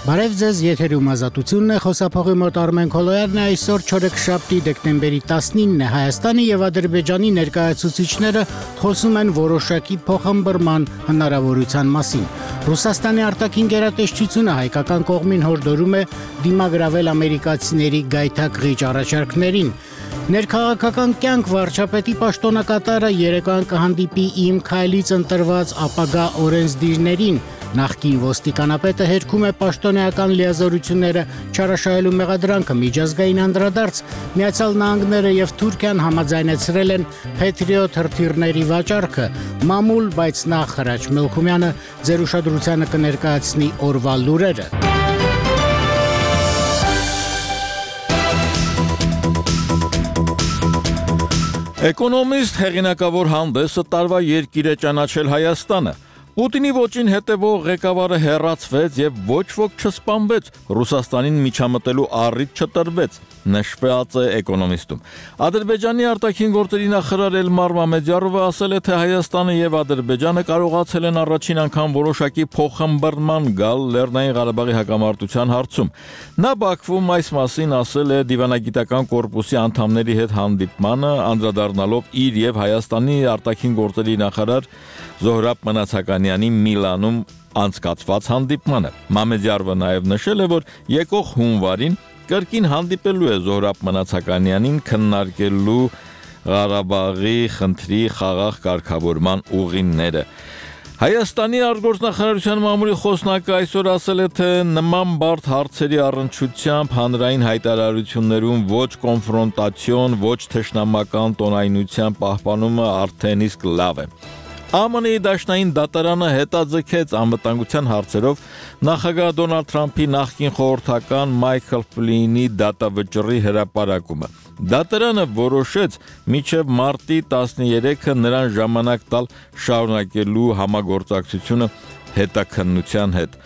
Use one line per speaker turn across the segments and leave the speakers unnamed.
Բարև ձեզ, եթերում ազատությունն է, խոսափողի մոտ Արմեն Քոլոյանն է, այսօր չորեքշաբթի դեկտեմբերի 19-ն է, Հայաստանի եւ Ադրբեջանի ներկայացուցիչները խոսում են որոշակի փոխհմբռնման հնարավորության մասին։ Ռուսաստանի արտաքին գերատեսչությունը հայկական կողմին հորդորում է դիմագրավել ամերիկացիների գայթակղիչ առաջարկներին։ Ներքաղաքական կյանք վարչապետի պաշտոնակատարը երեկոյան կհանդիպի Իմ քայլից ընտրված ապագա օրենսդիրներին։ Նախկին ոստիկանապետը հերքում է պաշտոնեական լիազորությունները չարաշահելու մեղադրանքը, միջազգային անդրադարձ, Միացյալ Նահանգները եւ Թուրքիան համաձայնեցրել են Patriot հրթիռների վաճառքը, մամուլ, բայց նախ Հրաչ Մելքումյանը ձեր ուշադրությանը կներկայացնի օրվա լուրերը։
Էկոնոմիստ հեղինակավոր հանդեսը տարվա երկիր է ճանաչել Հայաստանը։ Պուտինի ոճին հետևող ղեկավարը հեռացվեց եւ ոչ ոք չսպանվեց, Ռուսաստանին միջամտելու առիթ չտրվեց, նշված է Էկոնոմիստում։ Ադրբեջանի արտաքին գործերի նախարար Էլմար Մամեդյարովը ասել է, թե Հայաստանը եւ Ադրբեջանը կարողացել են առաջին անգամ որոշակի փոխհմբռնման գալ Լեռնային Ղարաբաղի հակամարտության հարցում։ Նա Բաքվում այս մասին ասել է դիվանագիտական կորպուսի անդամների հետ հանդիպմանը, անդրադառնալով իր եւ Հայաստանի արտաքին գործերի նախարար Զոհրաբ Մնացականյանի Միլանում անցկացված հանդիպմանը։ Մամեդյարովը նաև նշել է, որ եկող հունվարին կրկին հանդիպելու է Զոհրաբ Մնացականյանին քննարկելու Ղարաբաղի խնդրի խաղաղ կարգավորման ուղիները։ Հայաստանի արտգործնախարարության մամուլի խոսնակը այսօր ասել է, թե նման բարդ հարցերի առնչությամբ հանրային հայտարարություններում ոչ կոնֆրոնտացիոն, ոչ թշնամական տոնայնության պահպանումը արդեն իսկ լավ է։ ԱՄՆ-ի դաշնային դատարանը հետաձգեց անվտանգության հարցերով նախագահ Դոնալդ Թրամփի նախկին խորհրդական Մայքլ Ֆլինի դատավճռի հրապարակումը։ Դատարանը որոշեց մինչև մարտի 13-ը նրան ժամանակ տալ շարունակելու համագործակցությունը հետաքննության հետ։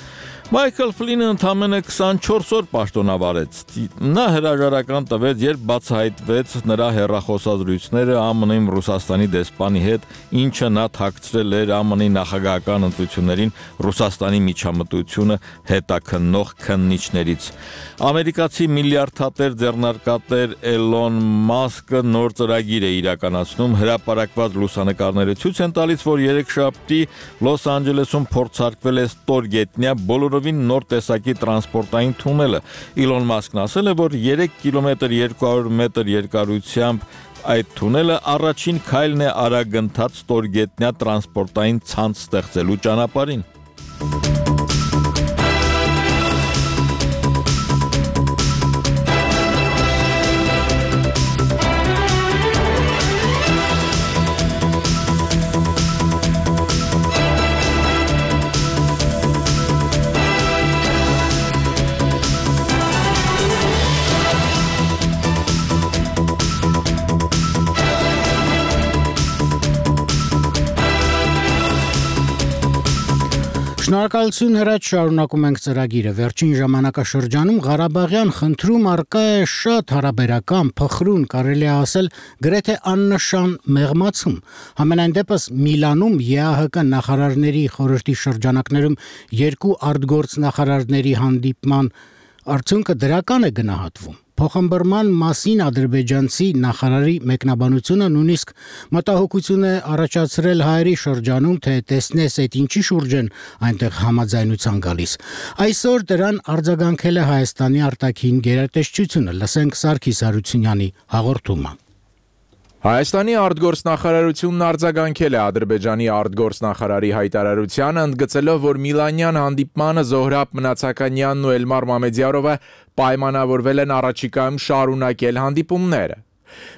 Մայքլ Ֆլինը ընդամենը 24 օր պաշտոնավարեց։ Նա հրաժարական տվեց, երբ բացահայտվեց նրա հեռախոսազրույցները ԱՄՆ-ում Ռուսաստանի դեսպանի հետ, ինչը նա թաքցրել էր ԱՄՆ-ի նախագահական ընտրություններին Ռուսաստանի միջամտությունը հետաքննող քննիչներից։ Ամերիկացի միլիարդատեր ձեռնարկատեր Էլոն Մասկը նոր ծրագիր է իրականացնում, հրապարակված լուսանկարները ցույց են տալիս, որ երեքշաբթի Լոս Անջելեսում փորձարկվել է ստորգետնյա բոլորովին նոր տեսակի տրանսպորտային թունելը։ Իլոն Մասկն ասել է, որ 3 կիլոմետր 200 մետր երկարությամբ այդ թունելը առաջին քայլն է արագընթաց ստորգետնյա տրանսպորտային ցանց ստեղծելու ճանապարհին։
Շնորհակալություն Հրաչ, շարունակում ենք ծրագիրը։ Վերջին ժամանակաշրջանում Ղարաբաղյան խնդրում առկա է շատ հարաբերական, փխրուն, կարելի է ասել գրեթե աննշան մեղմացում։ Համենայն դեպս Միլանում ԵԱՀԿ նախարարների խորհրդի շրջանակներում երկու արտգործնախարարների հանդիպման արդյունքը դրական է գնահատվում։ Փոխհմբռնման մասին ադրբեջանցի նախարարի մեկնաբանությունը նույնիսկ մտահոգություն է առաջացրել հայերի շրջանում, թե տեսնես այդ ինչի շուրջ են այնտեղ համաձայնության գալիս։ Այսօր դրան արձագանքել է Հայաստանի արտաքին գերատեսչությունը։ Լսենք Սարգիս Հարությունյանի հաղորդումը։
Հայաստանի արտգործնախարարությունն արձագանքել է Ադրբեջանի արտգործնախարարի հայտարարությանը, ընդգծելով, որ Միլանյան հանդիպմանը Զոհրաբ Մնացականյանն ու Էլմար Մամեդյարովը պայմանավորվել են առաջիկայում շարունակել հանդիպումները։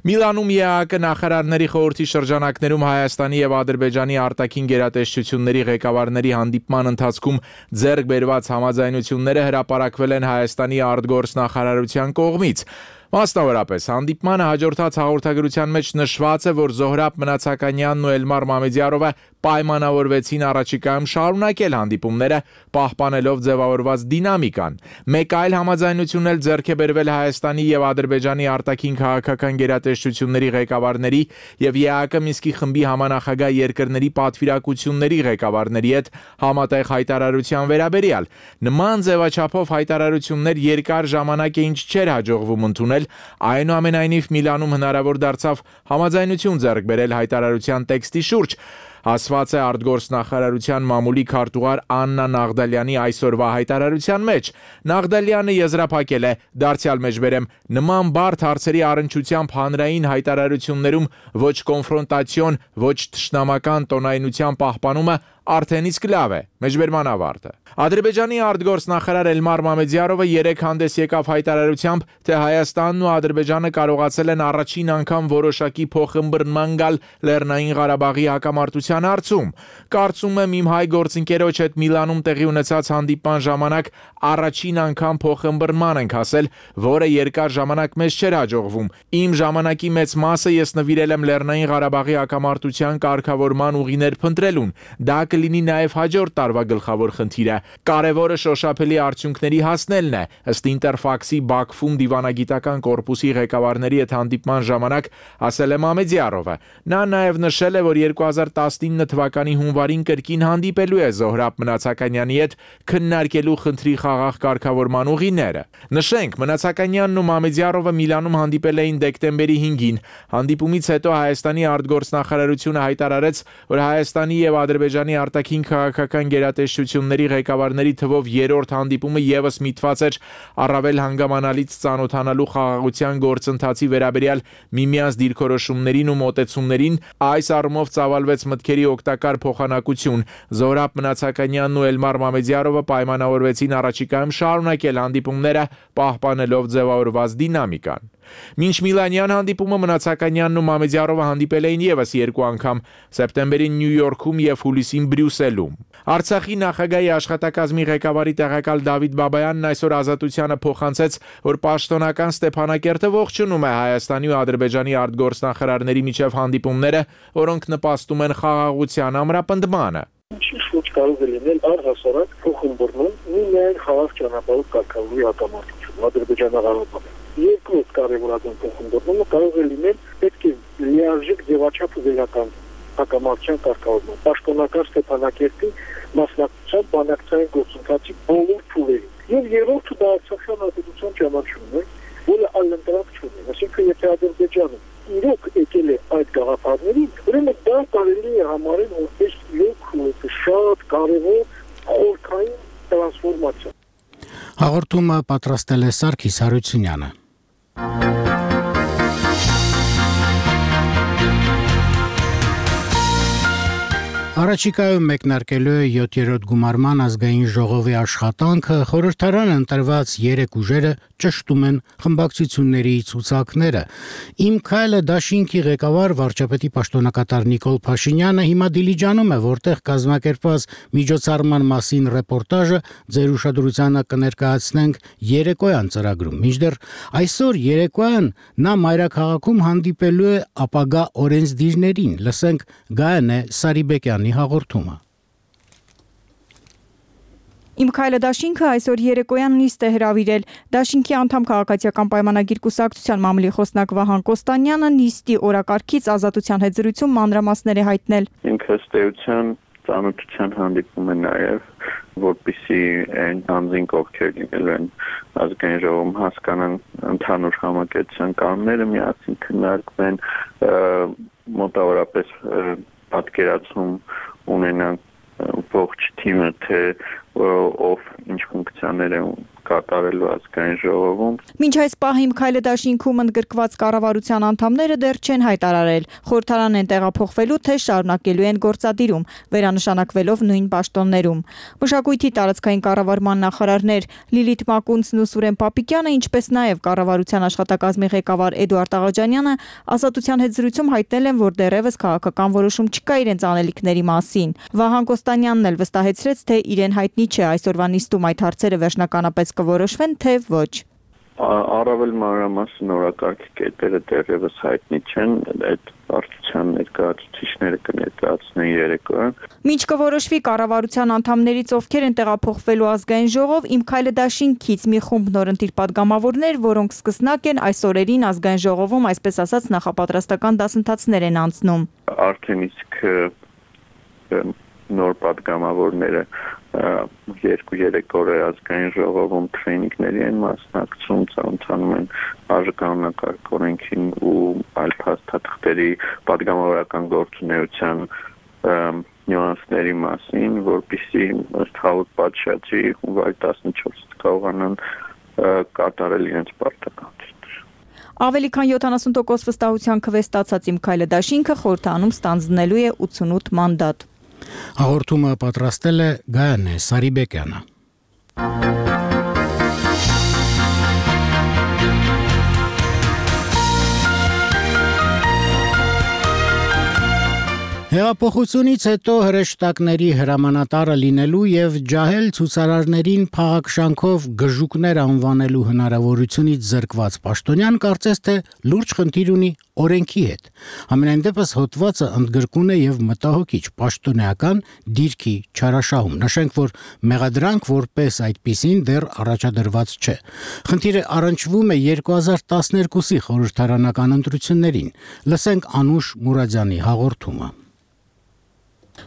Միլանում ԵԱՀԿ նախարարների խորհրդի շրջանակներում Հայաստանի եւ Ադրբեջանի արտաքին գերատեսչությունների ղեկավարների հանդիպման ընթացքում ձեռք բերված համաձայնությունները հրապարակվել են Հայաստանի արտգործնախարարության կողմից։ Մասնավորապես, հանդիպմանը հաջորդած հաղորդագրության մեջ նշված է, որ Զոհրաբ Մնացականյանն ու Էլմար Մամեդյարովը պայմանավորվեցին առաջիկայում շարունակել հանդիպումները, պահպանելով ձևավորված դինամիկան։ Մեկ այլ համաձայնություն էլ ձեռք է բերվել Հայաստանի եւ Ադրբեջանի արտաքին քաղաքական գերատեսչությունների ղեկավարների եւ ԵԱՀԿ Մինսկի խմբի համանախագահ երկրների պատվիրակությունների ղեկավարների հետ համատեղ հայտարարության վերաբերյալ։ Նման ձևաչափով հայտարարություններ երկար ժամանակ է ինչ չէր հաջողվում ընդունել, այնուամենայնիվ Միլանում հնարավոր դարձավ համաձայնություն ձեռք բերել հայտարարության տեքստի շուրջ։ Ասված է արտգործնախարարության մամուլի քարտուղար Աննա Նաղդալյանի այսօրվա հայտարարության մեջ։ Նաղդալյանը եզրափակել է, դարձյալ մեջբերեմ, նման բարդ հարցերի առնչությամբ հանրային հայտարարություններում ոչ կոնֆրոնտացիոն, ոչ թշնամական տոնայնության պահպանումը արդեն իսկ լավ է։ Մեջբերման ավարտը։ Ադրբեջանի արտգործնախարար Էլմար Մամեդյարովը երեկ հանդես եկավ հայտարարությամբ, թե Հայաստանն ու Ադրբեջանը կարողացել են առաջին անգամ որոշակի փոխըմբռնման գալ Լեռնային Ղարաբաղի հակամարտության հարցում։ Կարծում եմ իմ հայ գործընկերոջ հետ Միլանում տեղի ունեցած հանդիպման ժամանակ առաջին անգամ փոխըմբռնման ենք հասել, որը երկար ժամանակ մեզ չէր հաջողվում։ Իմ ժամանակի մեծ մասը ես նվիրել եմ Լեռնային Ղարաբաղի հակամարտության կարգավորման ուղիներ փնտրելուն։ Դա կլինի նաև հաջորդ տարվա գլխավոր խնդիրը։ Կարևորը շոշափելի արդյունքների հասնելն է, ըստ Ինտերֆաքսի Բաքվում դիվանագիտական կորպուսի ղեկավարների հետ հանդիպման ժամանակ ասել է Մամեդյարովը։ Նա նաև նշել է, որ 2019 թվականի հունվարին կրկին հանդիպելու է Զոհրաբ Մնացականյանի հետ քննարկելու խնդրի խաղաղ կարգավորման ուղիները։ Նշենք, Մնացականյանն ու Մամեդյարովը Միլանում հանդիպել էին դեկտեմբերի 5-ին։ Հանդիպումից հետո Հայաստանի արտգործնախարարությունը հայտարարեց, որ Հայաստանի եւ Ադրբեջանի արտաքին քաղաքական գերատեսչությունների ղեկավարների թվով երրորդ հանդիպումը եւս միտված էր առավել հանգամանալից ծանոթանալու խաղաղության գործընթացի վերաբերյալ միմյանց դիրքորոշումներին ու մոտեցումներին։ Այս առումով ծավալվեց մտքերի օգտակար փոխանակություն։ Զոհրաբ Մնացականյանն ու Էլմար Մամեդյարովը պայմանավորվեցին առաջիկայում շարունակել հանդիպումները, պահպանելով ձևավորված դինամիկան։ Մինչ Միլանյան հանդիպումը Մնացականյանն ու Մամեդյարովը հանդիպել էին եւս երկու անգամ՝ սեպտեմբերին Նյու Յորքում եւ հուլիսին Բրյուսելում։ Արցախի նախագահի աշխատակազմի ղեկավարի տեղակալ Դավիթ Բաբայանն այսօր Ազատությանը փոխանցեց, որ պաշտոնական Ստեփանակերտը ողջունում է Հայաստանի ու Ադրբեջանի արտգործնախարարների միջև հանդիպումները, որոնք նպաստում են խաղաղության ամրապնդմանը։
Ինչ կարող է լինել առհասարակ փոխըմբռնում միայն խաղաղ ճանապարհով կարգավորի հակամարտություն Ադրբեջանա-Ղարաբաղում։ Երկրորդ կարևորագույն փոխըմբռնումը կարող է լինել պետք է լիարժեք ձևաչափը վերականգնել հակամարտության կարգավորման, պաշտոնական Ստեփանակերտի մասնակցության բանակցային գործընթացի բոլոր փուլերին։ Եվ երրորդը դա Արցախյան ազատության ճանաչումն է, որը այլընտրանք չունի։ Այսինքն, եթե Ադրբեջանը իրոք եկել է այդ գաղափարներին, ուրեմն դա կարելի է համարել որպես շատ կարևոր խորքային տրանսֆորմացիա։
Հաղորդումը պատրաստել է Սարգիս Հարությունյանը։ Առաջիկայում մեկնարկելու է 7-րդ գումարման ազգային ժողովի աշխատանքը, խորհրդարանը ընտրված 3 ուժերը ճշտում են խմբակցությունների ցուցակները։ Իմ քայլը դաշինքի ղեկավար վարչապետի պաշտոնակատար Նիկոլ Փաշինյանը հիմա Դիլիջանում է, որտեղ կազմակերպված միջոցառման մասին ռեպորտաժը ձեր ուշադրությանը կներկայացնենք երեկոյան ծրագրում։ Մինչդեռ այսօր երեկոյան նա Մայրաքաղաքում հանդիպելու է ապագա օրենսդիրներին։ Լսենք Գայանե Սարիբեկյանի հաղորդումը։
Իմ քայլը դաշինքը այսօր երեկոյան նիստ է հրավիրել։ Դաշինքի անդամ քաղաքացիական պայմանագիր կուսակցության մամուլի խոսնակ Վահան Կոստանյանը նիստի օրակարգից Ազատության հետ զրույցում մանրամասներ է հայտնել։
Ինքը ըստ էության ծանոթության հանդիպում է նաև, որպեսզի այն անձինք ովքեր լինելու են ազգային ժողովում հասկանան ընդհանուր համակեցության կանոնները, միասին քննարկվեն, մոտավորապես պատկերացում ունենան ողջ թիմը, թե ով ինչ ֆունկցիաներ է կատարելու ազգային ժողովում։
Մինչ այս պահի Իմ քայլը դաշինքում ընդգրկված կառավարության անդամները դեռ չեն հայտարարել, խորհրդարան են տեղափոխվելու, թե շարունակելու են գործադիրում, վերանշանակվելով նույն պաշտոններում։ Մշակույթի տարածքային կառավարման նախարարներ Լիլիթ Մակունցն ու Սուրեն Պապիկյանը, ինչպես նաև կառավարության աշխատակազմի ղեկավար Էդուարդ Աղաջանյանը Ազատության հետ զրույցում հայտնել են, որ դեռևս քաղաքական որոշում չկա իրենց անելիքների մասին։ Վահան Կոստանյանն էլ վստահեցրեց, թե իրեն հայտնի չէ այսօրվա նիստում այդ հարցերը վերջնականապես կորոշվեն, թե ոչ։
Առավել մանրամասն օրակարգի կետերը դեռևս հայտնի չեն, այդ վարչության ներկայացուցիչները կներկայացնեն երեկոյան։
Մինչ կորոշվի կառավարության անդամներից ովքեր են տեղափոխվելու ազգային ժողով, Իմ քայլը դաշինքից մի խումբ նորընտիր падգամավորներ, որոնք սկսնակ են այս օրերին ազգային ժողովում, այսպես ասած, նախապատրաստական դասընթացներ են անցնում։
Արդեն իսկ նոր падգամավորները 2-3 օր ազգային ժողովում տրեյնինգների են մասնակցում, ցանցանում են արժանապատվական օրենքին ու այլ փաստաթղթերի падգամավորական գործունեության նյուանսների մասին, որպեսզի ըստ Հաուտ պատշաճի հունվարի 14-ից կարողանան կատարել իրենց պարտականությունները։
Ավելի քան 70% վստահության քվե ստացած Իմ քայլը դաշինքը խորհրդանում ստանձնելու է 88 մանդատ։
Հաղորդումը պատրաստել է Գայանե Սարիբեկյանը։ Հեղափոխությունից հետո հրեշտակների հրամանատարը լինելու եւ ջահել ցուցարարներին փաղաքշանքով գժուկներ անվանելու հնարավորությունից զրկված Պաշտոնյան կարծես թե լուրջ խնդիր ունի օրենքի հետ։ Համենայն դեպս հոդվածը ընդգրկուն է եւ մտահոգիչ պաշտոնեական դիրքի չարաշահում։ Նշենք, որ մեղադրանք որպես այդպիսին դեռ առաջադրված չէ։ Խնդիրը առնչվում է 2012-ի խորհրդարանական ընտրություններին։ Լսենք Անուշ Մուրադյանի հաղորդումը։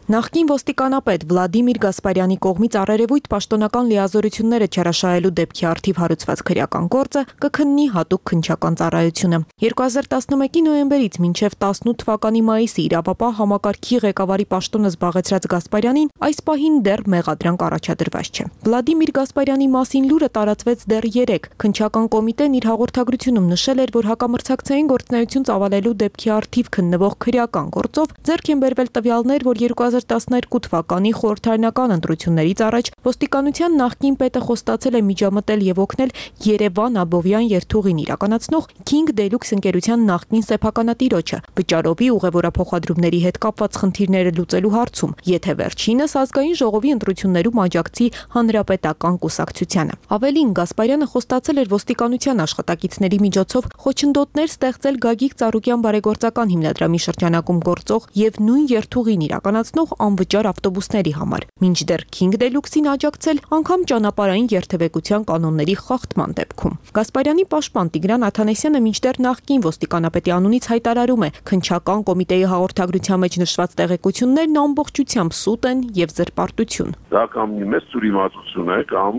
Նախկին ոստիկանապետ Վլադիմիր Գասպարյանի կողմից առերևույթ պաշտոնական լիազորությունները չարաշահելու դեպքի առթիվ հարուցված քրեական գործը կքննի հատուկ քննչական ծառայությունը։ 2011-ի նոյեմբերից մինչև 18 թվականի մայիսի իրավապահ համակարգի ղեկավարի պաշտոնը զբաղեցրած Գասպարյանին այս պահին դեռ մեղադրանք առաջադրված չէ։ Վլադիմիր Գասպարյանի մասին լուրը տարածվեց դեռ 3։ Քննչական կոմիտեն իր հաղորդագրությունում նշել էր, որ հակամրցակցային գործունեություն ծավալելու դեպքի առթիվ քննվող քրեական գործով ձեռք են բերվել տվյալներ, որ 2012 թվականի խորհրդարանական ընտրություններից առաջ ոստիկանության նախկին պետը խոստացել է միջամտել եւ օգնել Երևան Աբովյան երթուղին իրականացնող King Deluxe ընկերության նախկին սեփականատիրոջը վճարովի ուղևորափոխադրումների հետ կապված խնդիրները լուծելու հարցում, եթե վերջինս ազգային ժողովի ընտրություններում աջակցի հանրապետական կուսակցությանը։ Ավելին, Գասպարյանը խոստացել էր ոստիկանության աշխատակիցների միջոցով խոչընդոտներ ստեղծել Գագիկ Ծառուկյան բարեգործական հիմնադրամի շրջանակում գործող եւ նույն երթուղին իրականացնող անվճար ավտոբուսների համար, մինչդեռ King Deluxe-ին աջակցել անգամ ճանապարհային երթևեկության կանոնների խախտման դեպքում։ Գասպարյանի պաշտպան Տիգրան Աթանեսյանը մինչդեռ նախկին ոստիկանապետի անունից հայտարարում է, քննչական կոմիտեի հաղորդագրության մեջ նշված տեղեկություններն ամբողջությամբ սուտ են եւ զրպարտություն։
Դա կամ մեծ ծուրիմացություն է, կամ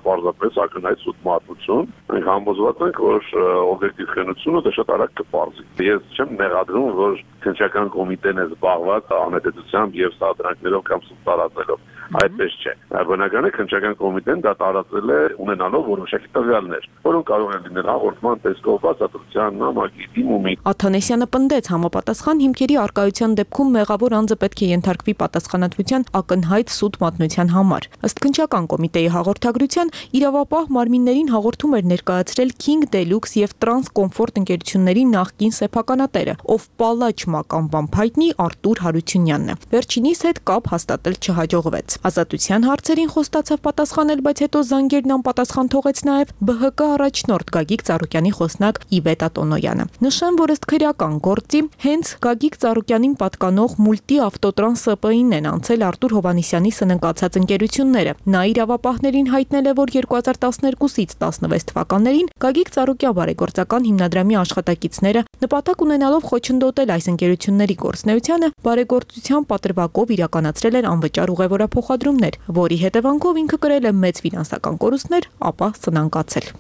պարզապես ակնհայտ սուտ մատուցություն։ Մենք համոզված ենք, որ օբյեկտիվ խենությունը դա շատ արագ կպարզի։ Ես չեմ մեղադրում, որ քննչական կոմիտեն է զբաղված անհետեցությամբ եւ սադրանքներով կամ սուտ տարածելով։ Այդպես չէ։ Բնական է քննչական կոմիտեն դա տարածել է ունենալով որոշակի տվյալներ, որոնք կարող են լինել հաղորդման տեսքով, բացատրության, նամակի, դիմումի։
Աթանեսյանը պնդեց, համապատասխան հիմքերի արկայության դեպքում մեղավոր անձը պետք է ենթարկվի պատասխանատվության ակնհայտ սուտ մատնության համար։ Ըստ քննչական կոմիտեի հաղորդագրության, իրավապահ մարմիններին հաղորդում էր ներկայացրել King Deluxe եւ Trans Comfort ընկերությունների նախկին սեփականատերը, ով Պալաչ մականվամբ հայտնի Արտուր Հարությունյանն է։ Վերջինիս հետ կապ հաստատել չհաջողվեց։ Ազատության հարցերին խոստացավ պատասխանել, բայց հետո զանգերն անպատասխան թողեց նաև ԲՀԿ առաջնորդ Գագիկ Ծառուկյանի խոսնակ Իվետ Ատոնոյանը։ Նշեմ, որ ըստ քրեական գործի հենց Գագիկ Ծառուկյանին պատկանող Մուլտի ավտոտրանս ՍՊ-ին են անցել Արտուր Հովհաննիսյանի սննկացած ընկերությունները։ Նա իրավապահներին հայտնել է, որ 2012-ից 16 թվականներին Գագիկ Ծառուկյան բարեգործական հիմնադրամի աշխատակիցները նպատակ ունենալով խոչընդոտել այս ընկերությունների գործունեությանը բարեգործության պատրվակով իրականացրել են անվճար ուղևորափոխադրումներ, որի հետևանքով ինքը կրել է մեծ ֆինանսական կորուստներ, ապա սնանկացել։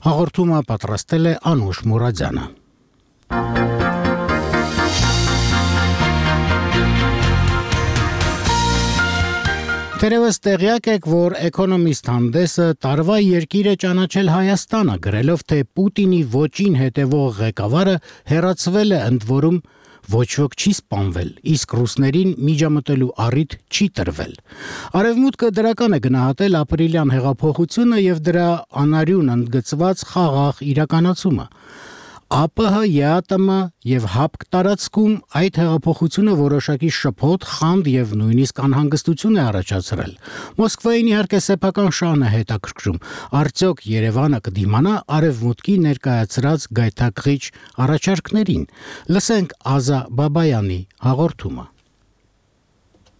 Հաղորդումը պատրաստել է Անուշ Մուրադյանը։ Թերևս տեղյակ եք, որ Economist հանդեսը տարվա երկիր է ճանաչել Հայաստանը, գրելով, թե Պուտինի ոճին հետևող ղեկավարը հեռացվել է, ընդ որում ոչ ոք չի սպանվել, իսկ ռուսներին միջամտելու առիթ չի տրվել։ Արևմուտքը դրական է գնահատել ապրիլյան հեղափոխությունը եւ դրա անարյուն ընդգծված խաղաղ իրականացումը։ ԱՊՀ, ԵԱՏՄ եւ ՀԱՊԿ տարածքում այդ հեղափոխությունը որոշակի շփոթ, խանդ եւ նույնիսկ անհանգստություն է առաջացրել։ Մոսկվային իհարկե սեփական շանը հետաքրքրում։ Արդյոք Երևանը կդիմանա արևմուտքի ներկայացրած գայթակղիչ առաջարկներին։ Լսենք Ազա Բաբայանի հաղորդումը։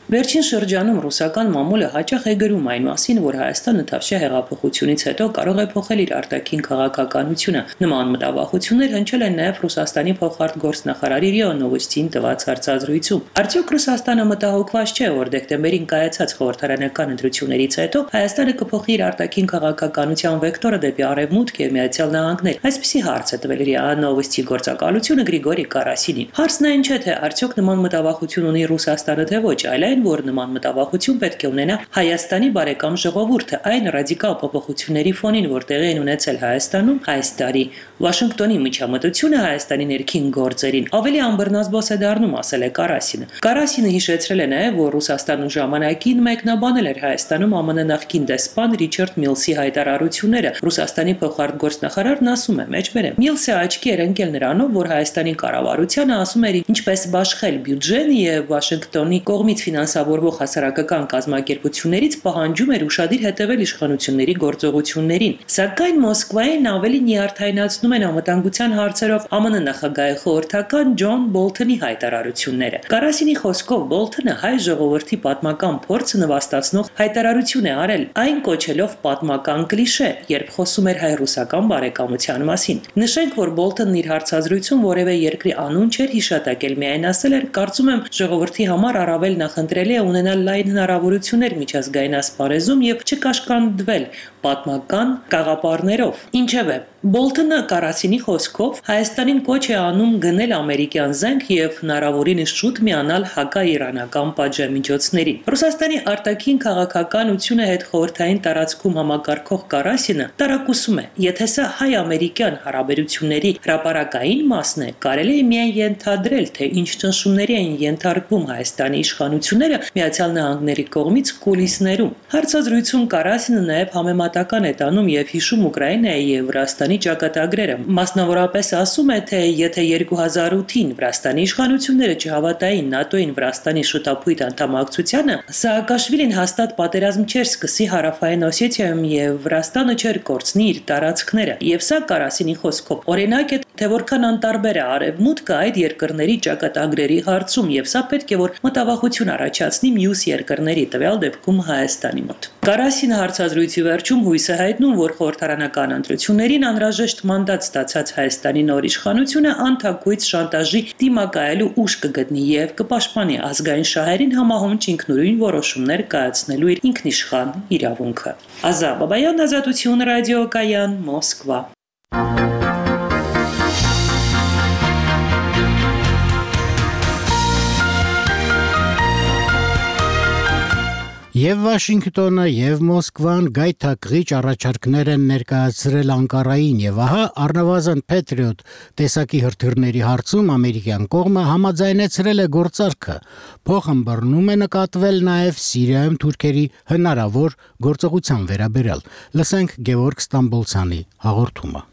Վերջին շրջանում ռուսական մամուլը հաճախ է գրում այն մասին, որ Հայաստանը Թավշյա հեղափոխությունից հետո կարող է փոխել իր արտաքին քաղաքականությունը։ Նման մտավախություններ հնչել են նաև Ռուսաստանի փոխարտգործնախարար ՌԻԱ Նովոստիին տված հարցազրույցում։ Արդյոք Ռուսաստանը մտահոգված չէ, որ դեկտեմբերին կայացած խորհրդարանական ընտրություններից հետո Հայաստանը կփոխի իր արտաքին քաղաքականության վեկտորը դեպի արևմուտք եւ Միացյալ Նահանգներ։ Այսպիսի հարց է տվել ՌԻԱ Նովոստիի գործակալությունը Գրիգորի Կարասինին։ Հարցն այն չէ, թե արդյոք նման մտավախություն ունի Ռուսաստանը թե ոչ, այլ որ նման մտավախություն պետք է ունենա Հայաստանի բարեկամ ժողովուրդը այն ռադիկալ փոփոխությունների ֆոնին, որ տեղի են ունեցել Հայաստանում այս տարի։ Վաշինգտոնի միջամտությունը Հայաստանի ներքին գործերին ավելի անբռնազբոս է դառնում, ասել է Կարասինը։ Կարասինը հիշեցրել է նաև, որ Ռուսաստանը ժամանակին մեկնաբանել էր Հայաստանում ԱՄՆ նախկին դեսպան Ռիչարդ Միլսի հայտարարությունները։ Ռուսաստանի փոխարտգործնախարարն ասում է. մեջբերեմ, Միլսը աչքի էր ընկել նրանով, որ Հայաստանի կառավարությանը ասում էր ինչպես բաշխել բյուջեն եւ Վաշինգտոնի կողմից ֆինանսավորվող հասարակական կազմակերպություններից պահանջում էր ուշադիր հետևել իշխանությունների գործողություններին։ Սակայն Մոսկվային ավելի նյարդայնացնում են անվտանգության հարցերով ԱՄՆ նախագահի խորհրդական Ջոն Բոլթոնի հայտարարությունները։ Կարասինի խոսքով Բոլթոնը հայ ժողովրդի պատմական փորձը նվաստացնող հայտարարություն է արել, այն կոչելով պատմական կլիշե, երբ խոսում էր հայ-ռուսական բարեկամության մասին։ Նշենք, որ Բոլթոնն իր հարցազրույցում որևէ երկրի անուն չէր հիշատակել, միայն ասել էր. կարծում եմ ժողովրդի համար առավել նախընտրելի է ունենալ լայն հնարավորություններ միջազգային ասպարեզում եւ չկաշկանդվել պատմական կաղապարներով։ Ինչևէ, Բոլթոնը Կարասինի խոսքով Հայաստանին կոչ է անում գնել ամերիկյան զենք եւ հնարավորինս շուտ միանալ հակաիրանական պատժամիջոցներին։ Ռուսաստանի արտաքին քաղաքականությունը հետ խորհրդային տարածքում համակարգող Կարասինը տարակուսում է, եթե սա հայ-ամերիկյան հարաբերությունների հրապարակային մասն է, կարելի է միայն ենթադրել, թե ինչ ճնշումների են ենթարկվում Հայաստանի իշխանությունները Միացյալ Նահանգների կողմից կուլիսներում։ Հարցազրույցում Կարասինը նաև համեմատական է տանում եւ հիշում Ուկրաինայի եւ Վրաստանի ճակատագրերը։ Մասնավորապես ասում է, թե եթե 2008-ին Վրաստանի իշխանությունները չհավատային ՆԱՏՕ-ին Վրաստանի շուտապույտ անդամակցությանը, Սաակաշվիլին հաստատ պատերազմ չէր սկսի Հարավային Օսեթիայում եւ Վրաստանը չէր կորցնի իր տարածքները։ Եվ սա Կարասինի խոսքով օրինակ է, թե որքան անտարբեր է արևմուտքը այդ երկրների ճակատագրերի հարցում եւ սա պետք է որ մտավախություն առաջացնի մյուս երկրների, տվյալ դեպքում Հայաստանի մոտ։ Կարասինը հարցազրույցի վերջում հույս է հայտնում, որ խորհրդարանական ընտրություններին անհրաժեշտ մանդատ ստացած Հայաստանի նոր իշխանությունը անթակույց շանտաժի դիմակայելու ուժ կգտնի եւ կպաշտպանի ազգային շահերին համահունչ ինքնուրույն որոշումներ կայացնելու իր ինքնիշխան իրավունքը։ Ազա Բաբայան, Ազատություն ռադիոկայան, Մոսկվա։
Եվ Վաշինգտոնը եւ Մոսկվան գայթակղիչ առաջարկներ են ներկայացրել Անկարային եւ ահա առնվազն Patriot տեսակի հրթիռների հարցում ամերիկյան կողմը համաձայնեցրել է գործարքը։ Փոխըմբռնում է նկատվել նաեւ Սիրիայում թուրքերի հնարավոր գործողության վերաբերյալ։ Լսենք Գևորգ Ստամբոլցյանի հաղորդումը։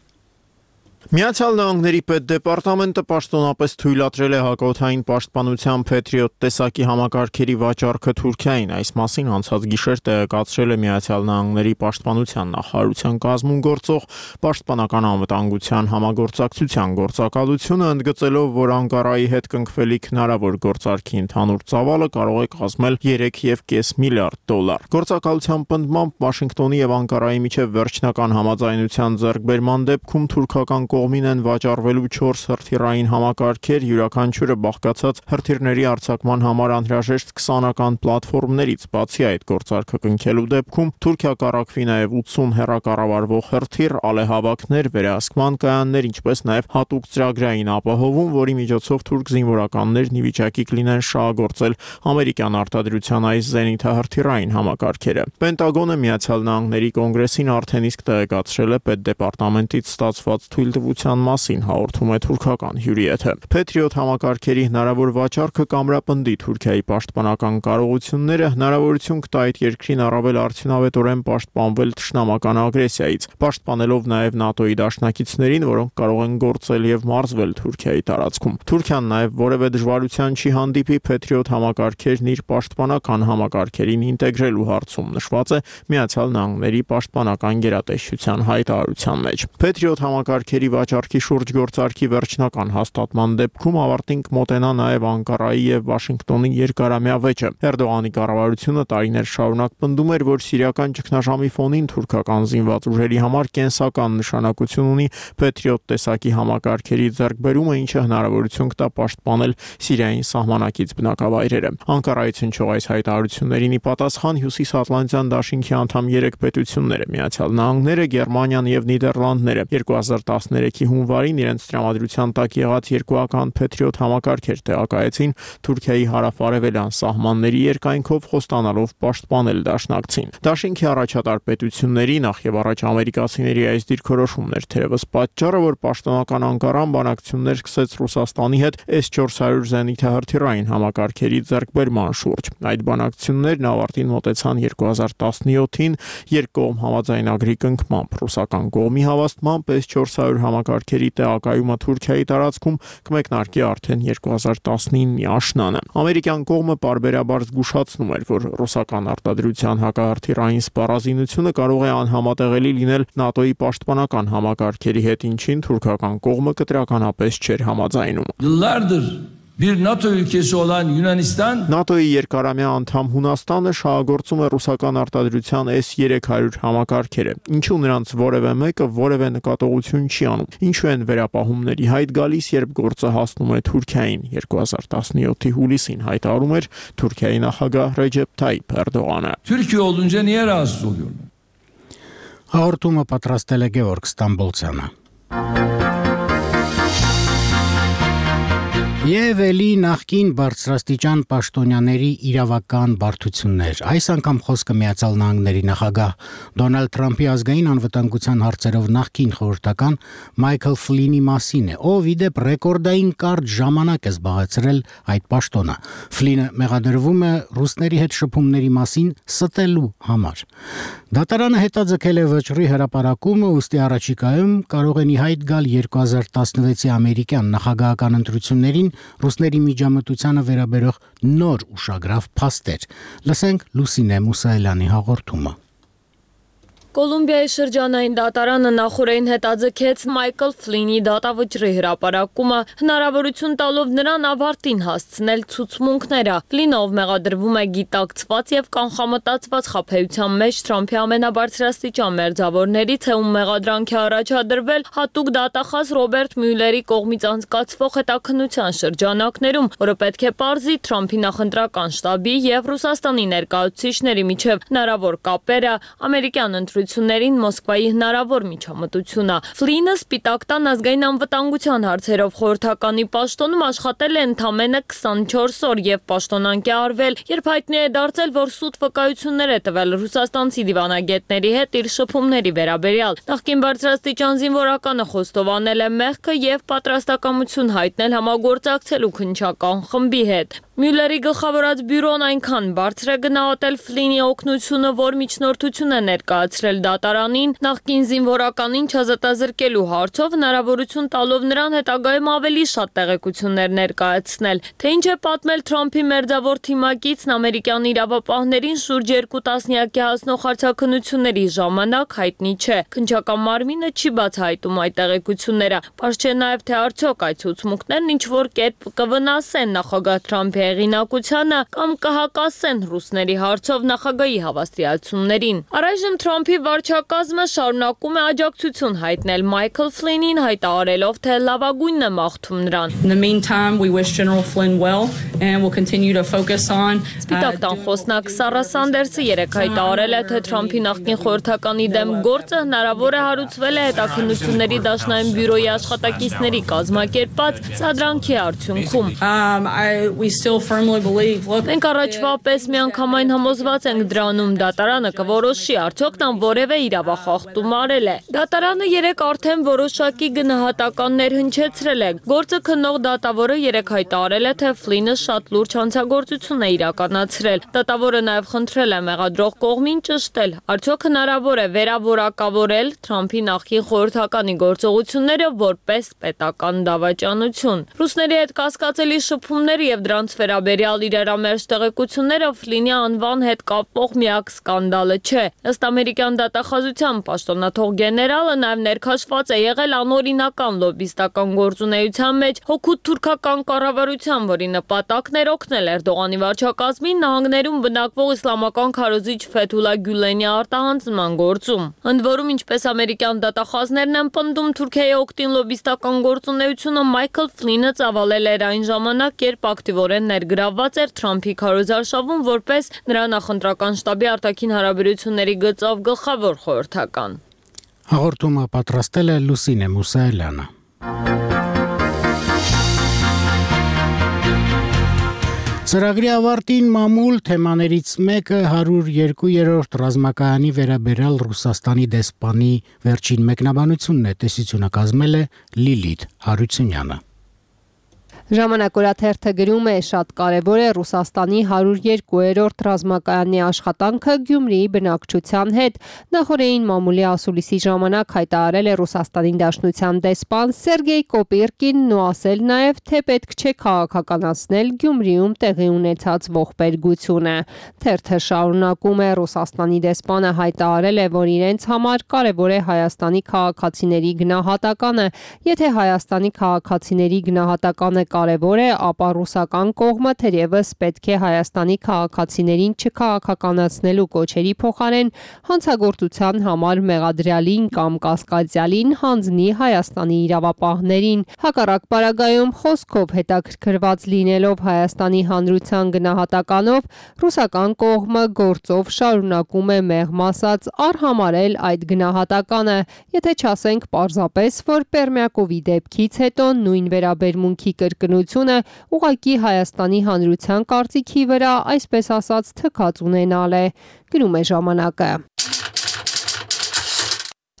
Միացյալ Նահանգների պետդեպարտամենտը պաշտոնապես թույլատրել է հակաօդային պաշտպանության Patriot տեսակի համակարգերի վաճառքը Թուրքիային։ Այս մասին անցած գիշեր տեղեկացրել է Միացյալ Նահանգների պաշտպանության նախարարության կազմում գործող պաշտպանական անվտանգության համագործակցության գործակալությունը, ընդգծելով, որ Անկարայի հետ կնքվելիք հնարավոր գործարքի ընդհանուր ծավալը կարող է կազմել 3.5 միլիարդ դոլար։ Գործակալության պնդմամբ Վաշինգտոնի եւ Անկարայի միջև վերջնական համաձայնության ձեռքբերման դեպքում թուրքական կողմին են վաճառվելու 4 հրթիռային համակարգեր, յուրաքանչյուրը բաղկացած հրթիռների արձակման համար անհրաժեշտ 20-ական պլատֆորմներից։ Բացի այդ, գործարքը կնքելու դեպքում Թուրքիա կառավարվի նաև 80 հեռակառավարվող հրթիռ, ալեհավաքներ, վերահսկման կայաններ, ինչպես նաև հատուկ ծրագրային ապահովում, որի միջոցով թուրք զինվորականներն ի վիճակի կլինեն շահագործել ամերիկյան արտադրության այս զենիթահրթիռային համակարգերը։ Պենտագոնը Միացյալ Նահանգների կոնգրեսին արդեն իսկ տեղեկացրել է պետդեպարտամենտից ստացված թույլտվության ապահովության մասին, հաղորդում է թուրքական հյուրի եթեր։ Patriot համակարգերի հնարավոր վաճառքը կամրապնդի Թուրքիայի պաշտպանական կարողությունները, հնարավորություն կտա այդ երկրին առավել արդյունավետորեն պաշտպանվել թշնամական ագրեսիայից, պաշտպանելով նաև ՆԱՏՕ-ի դաշնակիցներին, որոնք կարող են գործել եւ մարզվել Թուրքիայի տարածքում։ Թուրքիան նաև որևէ դժվարության չի հանդիպի Patriot համակարգերն իր պաշտպանական համակարգերին ինտեգրելու հարցում, նշված է Միացյալ Նահանգների պաշտպանական գերատեսչության հայտարարության մեջ։ Patriot համակարգերի վաճառքի շուրջ գործարքի վերջնական հաստատման դեպքում ավարտին կմոտենա նաև Անկարայի եւ Վաշինգտոնի երկարամյա վեճը։ Էրդողանի կառավարությունը տարիներ շարունակ պնդում էր, որ սիրիական ճգնաժամի ֆոնին թուրքական զինված ուժերի համար կենսական նշանակություն ունի Patriot տեսակի համակարգերի ձեռքբերումը, ինչը հնարավորություն կտա պաշտպանել Սիրիային սահմանակից բնակավայրերը։ Անկարայից հնչող այս հայտարարություններին ի պատասխան Հյուսիսատլանտյան դաշինքի անդամ 3 պետությունները՝ Միացյալ Նահանգները, Գերմանիան եւ Նիդերլանդները 2013-ի հունվարին իրենց տրամադրության տակ եղած երկուական Patriot համակարգեր տեղակայեցին Թուրքիայի հարավ-արևելյան սահմանների երկայնքով, խոստանալով պաշտպանել դաշնակցին։ Դաշինքի առաջատար պետությունների, նախ եւ առաջ ամերիկացիների այս դիրքորոշումն էր թերևս պատճառը, որ պաշտոնական Անկարան բանակցություններ սկսեց Ռուսաստանի հետ S-400 զենիթահրթիռային համակարգերի ձեռքբերման շուրջ։ Այդ բանակցություններն ավարտին մոտեցան 2017-ին երկկողմ համաձայնագրի կնքմամբ։ Ռուսական կողմի հավաստմամբ S-400 համակարգերի տեղակայումը Թուրքիայի տարածքում կմեկնարկի արդեն 2019-ի աշնանը։ Ամերիկյան կողմը պարբերաբար զգուշացնում էր, որ ռուսական արտադրության հակահրթիռային սպառազինությունը կարող է անհամատեղելի լինել ՆԱՏՕ-ի պաշտպանական համակարգերի հետ, ինչին թուրքական կողմը կտրականապես չէր համաձայնում։
Bir NATO ülkesi olan Yunanistan
ՆԱՏՕ-ի երկարամյա անդամ Հունաստանը շահագործում է ռուսական արտադրության S-300 համակարգերը, ինչու նրանց որևէ մեկը որևէ նկատողություն չի անում։ Ինչու են վերապահումների հայտ գալիս, երբ գործը հասնում է Թուրքիային։ 2017-ի հուլիսին հայտարարում էր Թուրքիայի նախագահ Ռեջեփ Թայիփ Էրդողանը։
Türkiye olunca niye rahatsız oluyorlar?
Հաղորդումը պատրաստել է Գևորգ Ստամբոլցյանը։ Եվ էլի նախկին բարձրաստիճան պաշտոնյաների իրավական բարդություններ։ Այս անգամ խոսքը Միացյալ Նահանգների նախագահ Դոնալդ Թրամփի ազգային անվտանգության հարցերով նախկին խորհրդական Մայքլ Ֆլինի մասին է, ով ի դեպ ռեկորդային կարճ ժամանակ է զբաղեցրել այդ պաշտոնը։ Ֆլինը մեղադրվում է ռուսների հետ շփումների մասին ստելու համար։ Դատարանը հետաձգել է վճռի հրապարակումը, ուստի առաջիկայում կարող են ի հայտ գալ 2016-ի ամերիկյան նախագահական ընտրություններին ռուսների միջամտությանը վերաբերող նոր ուշագրավ փաստեր։ Լսենք Լուսինե Մուսայելյանի հաղորդումը։
Կոլումբիայի շրջանային դատարանը նախորդին հետաձգեց Մայքլ Ֆլինի դատավճռի հրապարակումը, հնարավորություն տալով նրան ավարտին հասցնել ցուցմունքները։ Ֆլինով մեղադրվում է գիտակցված եւ կանխամտածված խաբեության մեջ Թրամփի ամենաբարձրաստիճան մերձավորներից է, ում մեղադրանքի առաջադրվել հատուկ դատախազ Ռոբերտ Մյուլլերի կողմից անցկացվող հետաքննության շրջանակներում, որը պետք է պարզի Թրամփի նախընտրական շտաբի եւ Ռուսաստանի ներկայացուցիչների միջև հնարավոր կապերը, ամերիկյան ընտրություններին Մոսկվայի հնարավոր միջամտությունը։ Ֆլինը Սպիտակ տան ազգային անվտանգության հարցերով խորհրդականի պաշտոնում աշխատել է ընդամենը 24 օր եւ պաշտոնանկի արվել, երբ հայտնի է դարձել, որ սուտ վկայություններ է տվել ռուսաստանցի դիվանագետների հետ իր շփումների վերաբերյալ։ Նախկին բարձրաստիճան զինվորականը խոստովանել է մեղքը եւ պատրաստակամություն հայտնել համագործակցելու քննչական խմբի հետ։ Մյուլլերի գլխավորած բյուրոն այնքան բարձր է գնահատել Ֆլինի օգնությունը, որ միջնորդություն է ներկայացրել դատարանին նախկին զինվորականին չազատազրկելու հարցով, հնարավորություն տալով նրան հետագայում ավելի շատ տեղեկություններ ներկայացնել։ Թե ինչ է պատմել Թրամփի մերձավոր թիմակիցն ամերիկյան իրավապահներին շուրջ 2 տասնյակի հասնող հարցաքննությունների ժամանակ հայտնի չէ։ Քննչական մարմինը չի բացահայտում այդ տեղեկությունները։ Պարզ չէ նաև, թե արդյոք այդ ցուցմունքներն ինչ-որ կերպ կվնասեն նախագահ Թրամփի հեղինակությանը կամ կհակասեն ռուսների հարցով նախագահի հավաստիացումներին։ Առայժմ Թրամփի վարչակազմը շարունակում է աջակցություն հայտնել Մայքլ Ֆլինին, հայտարարելով, թե լավագույնն է մաղթում նրան։ Սպիտակ տան խոսնակ Սարա Սանդերսը երեկ հայտարարել է, թե Թրամփի նախկին խորհրդականի դեմ գործը հնարավոր է հարուցվել է հետաքննությունների դաշնային բյուրոյի աշխատակիցների կազմակերպած սադրանքի արդյունքում։ Մենք առաջվա պես միանգամայն համոզված ենք դրանում, դատարանը կորոշի, արդյոք նա որևէ իրավախախտում արել է։ Դատարանը երեկ արդեն որոշակի գնահատականներ հնչեցրել է։ Գործը քննող դատավորը երեկ հայտարարել է, թե Ֆլինը շատ լուրջ հանցագործություն է իրականացրել։ Դատավորը նաև խնդրել է մեղադրող կողմին ճշտել, արդյոք հնարավոր է վերավորակավորել Թրամփի նախկին խորհրդականի գործողությունները որպես պետական դավաճանություն։ Ռուսների հետ կասկածելի շփումները եւ դրանց վերաբերյալ իրարամերժ տեղեկությունները Ֆլինի անվան հետ կապող միակ սկանդալը չէ։ Ըստ ամերիկյան դատախազության պաշտոնաթող գեներալը նաև ներքաշված է եղել անօրինական լոբիստական գործունեության մեջ հօգուտ թուրքական կառավարության, որի նպատակն էր օգնել Էրդողանի վարչակազմին նահանգներում բնակվող իսլամական քարոզիչ Ֆեթուլա Գյուլենի արտահանձնման գործում։ Ընդ որում, ինչպես ամերիկյան դատախազներն են պնդում, Թուրքիայի օգտին լոբիստական գործունեությունը Մայքլ Ֆլինը ծավալել էր այն ժամանակ, երբ ակտիվորեն ներգրավված էր Թրամփի քարոզարշավում որպես նրա նախընտրական շտաբի արտաքին հարաբերությունների գծով գլխավոր խորհրդական։
Հաղորդումը պատրաստել է Լուսինե Մուսայելյանը։ Ծրագրի ավարտին մամուլ թեմաներից մեկը 102-րդ ռազմակայանի վերաբերյալ Ռուսաստանի դեսպանի վերջին մեկնաբանությունն է, տեսությունը կազմել է Լիլիթ Հարությունյանը։
Ժամանակորաթերթը գրում է, շատ կարևոր է Ռուսաստանի 102-րդ ռազմակայանի աշխատանքը Գյումրիի բնակչության հետ։ Նախորդին մամուլի ասուլիսի ժամանակ հայտարարել է Ռուսաստանի Դաշնության դեսպան Սերգեյ Կոպիրկինն ու ասել նաև, թե պետք չէ քաղաքականացնել Գյումրիում տեղի ունեցած ողբերգությունը։ Թերթը շարունակում է, Ռուսաստանի դեսպանը հայտարարել է, որ իրենց համար կարևոր է Հայաստանի քաղաքացիների գնահատականը։ Եթե Հայաստանի քաղաքացիների գնահատականը կարևոր է, ապա ռուսական կողմը թերևս պետք է Հայաստանի քաղաքացիներին չքաղաքականացնելու կոչերի փոխարեն հանցագործության համար մեղադրյալին կամ կասկածյալին հանձնի Հայաստանի իրավապահներին։ Հակառակ պարագայում խոսքով հետաքրքրված լինելով Հայաստանի հանրության գնահատականով, ռուսական կողմը գործով շարունակում է մեղմ ասած արհամարել այդ գնահատականը, եթե չասենք պարզապես, որ Պերմյակովի դեպքից հետո նույն վերաբերմունքի կրկնությունը ուղղակի Հայաստանի հանրության կարծիքի վրա, այսպես ասած, թքած ունենալ է, գրում է ժամանակը։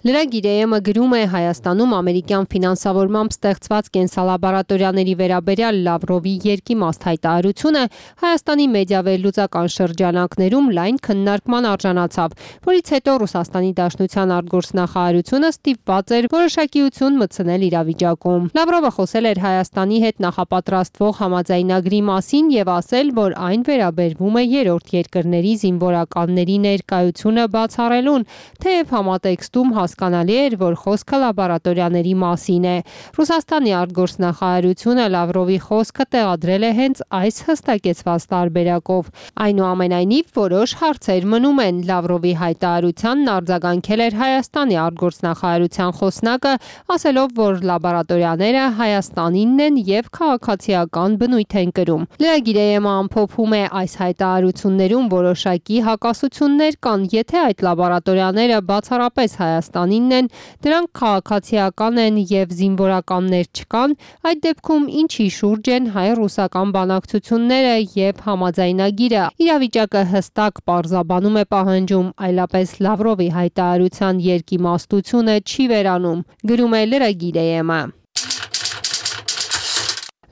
Լրագիր-ը գրում է, Հայաստանում ամերիկյան ֆինանսավորմամբ ստեղծված կենսալաբորատորիաների վերաբերյալ Լավրովի երկիմաստ հայտարարությունը Հայաստանի մեդիավերլուծական շրջանակներում լայն քննարկման արժանացավ, որից հետո Ռուսաստանի Դաշնության արտգործնախարարությունը ստիպված էր որոշակիություն մտցնել իրավիճակում։ Լավրովը խոսել էր Հայաստանի հետ նախապատրաստվող համաձայնագրի մասին եւ ասել, որ այն վերաբերվում է երրորդ երկրների զինվորականների ներկայությունը բացառելուն, թեև համատեքստում հասկանալի էր, որ խոսքը լաբորատորիաների մասին է։ Ռուսաստանի արտգործնախարարությունը Լավրովի խոսքը տեղադրել է հենց այս հստակեցված տարբերակով։ Այնուամենայնիվ, որոշ հարցեր մնում են։ Լավրովի հայտարարությանն արձագանքել էր Հայաստանի արտգործնախարարության խոսնակը, ասելով, որ լաբորատորիաները Հայաստանինն են եւ քաղաքացիական բնույթ են կրում։ Լրագիրը ամփոփում է, այս հայտարարություններում որոշակի հակասություններ կան, եթե այդ լաբորատորիաները բացառապես Հայաստանինն են, դրանք քաղաքացիական են եւ զինվորականներ չկան, այդ դեպքում ինչի շուրջ են հայ-ռուսական բանակցությունները եւ համաձայնագիրը։ Իրավիճակը հստակ պարզաբանում է պահանջում, այլապես Լավրովի հայտարարության երկիմաստությունը չի վերանում, գրում է լրագիրը։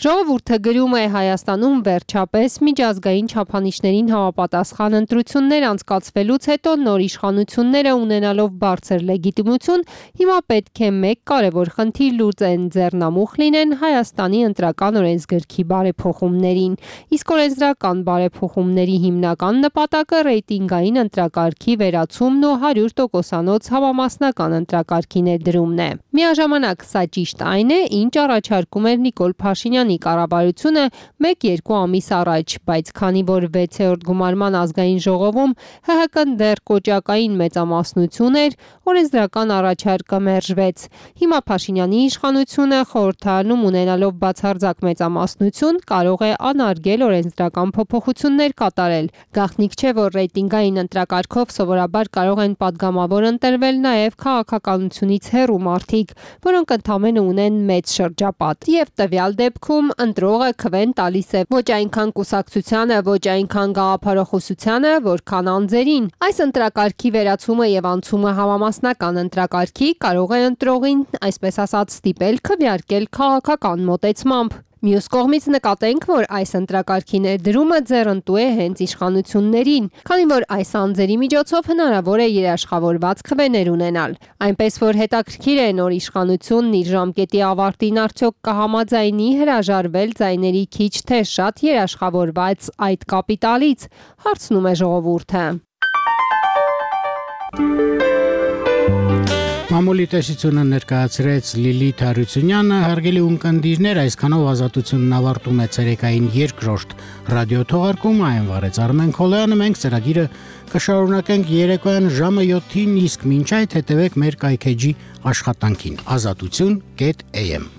Ժողովուրդը գրում է, Հայաստանում վերջապես միջազգային չափանիշներին համապատասխան ընտրություններ անցկացվելուց հետո նոր իշխանությունները ունենալով բարձր լեգիտիմություն, հիմա պետք է մեկ կարևոր խնդիր լուծեն, ձեռնամուխ լինեն Հայաստանի ընտրական օրենսգրքի բարեփոխումներին։ Իսկ օրենսդրական բարեփոխումների հիմնական նպատակը ռեյտինգային ընտրակարգի վերացումն ու 100%-անոց համամասնական ընտրակարգի ներդրումն է։ Միաժամանակ սա ճիշտ այն է, ինչ առաջարկում էր Նիկոլ Փաշինյանը կառավարությունը 1-2 ամիս առաջ, բայց քանի որ 6-րդ գումարման ազգային ժողովում ՀՀԿ-ն դեռ կոճակային մեծամասնություն էր, օրենսդրական առաջարկը մերժվեց։ Հիմա Փաշինյանի իշխանությունը խորհրդարանում ունենալով բացարձակ մեծամասնություն կարող է անարգել օրենսդրական փոփոխություններ կատարել։ Գաղտնիք չէ, որ ռեյտինգային ընտրակարգով սովորաբար կարող են падգամավոր ընտրվել նաև քաղաքականությունից հեռու մարդիկ, որոնք ընդամենը ունեն մեծ շրջապատ, եւ տվյալ դեպքում դեպքում ընտրողը քվեն տալիս է ոչ այնքան կուսակցությանը, ոչ այնքան գաղափարախոսությանը, որքան անձերին։ Այս ընտրակարգի վերացումը եւ անցումը համամասնական ընտրակարգի կարող է ընտրողին, այսպես ասած, ստիպել քվեարկել քաղաքական մոտեցմամբ։ Մյուս կողմից նկատենք, որ այս ընտրակարգի ներդրումը ձեռնտու է հենց իշխանություններին, քանի որ այս անձերի միջոցով հնարավոր է երաշխավորված քվեներ ունենալ։ Այնպես որ հետաքրքիր է նոր իշխանությունն իր ժամկետի ավարտին արդյոք կհամաձայնի հրաժարվել ձայների քիչ թե շատ երաշխավորված այդ կապիտալից, հարցնում է ժողովուրդը։
Մամուլի տեսությունը ներկայացրեց Լիլիթ Հարությունյանը, հարգելի ունկնդիրներ, այսքանով ազատությունն ավարտում է ցերեկային երկրորդ ռադիո թողարկումը, այն վարեց Արմեն Քոլոյանը, մենք ծրագիրը կշարունակենք երեկոյան ժամը 7-ին, իսկ մինչ այդ հետևեք մեր կայքեջի աշխատանքին azatutun.am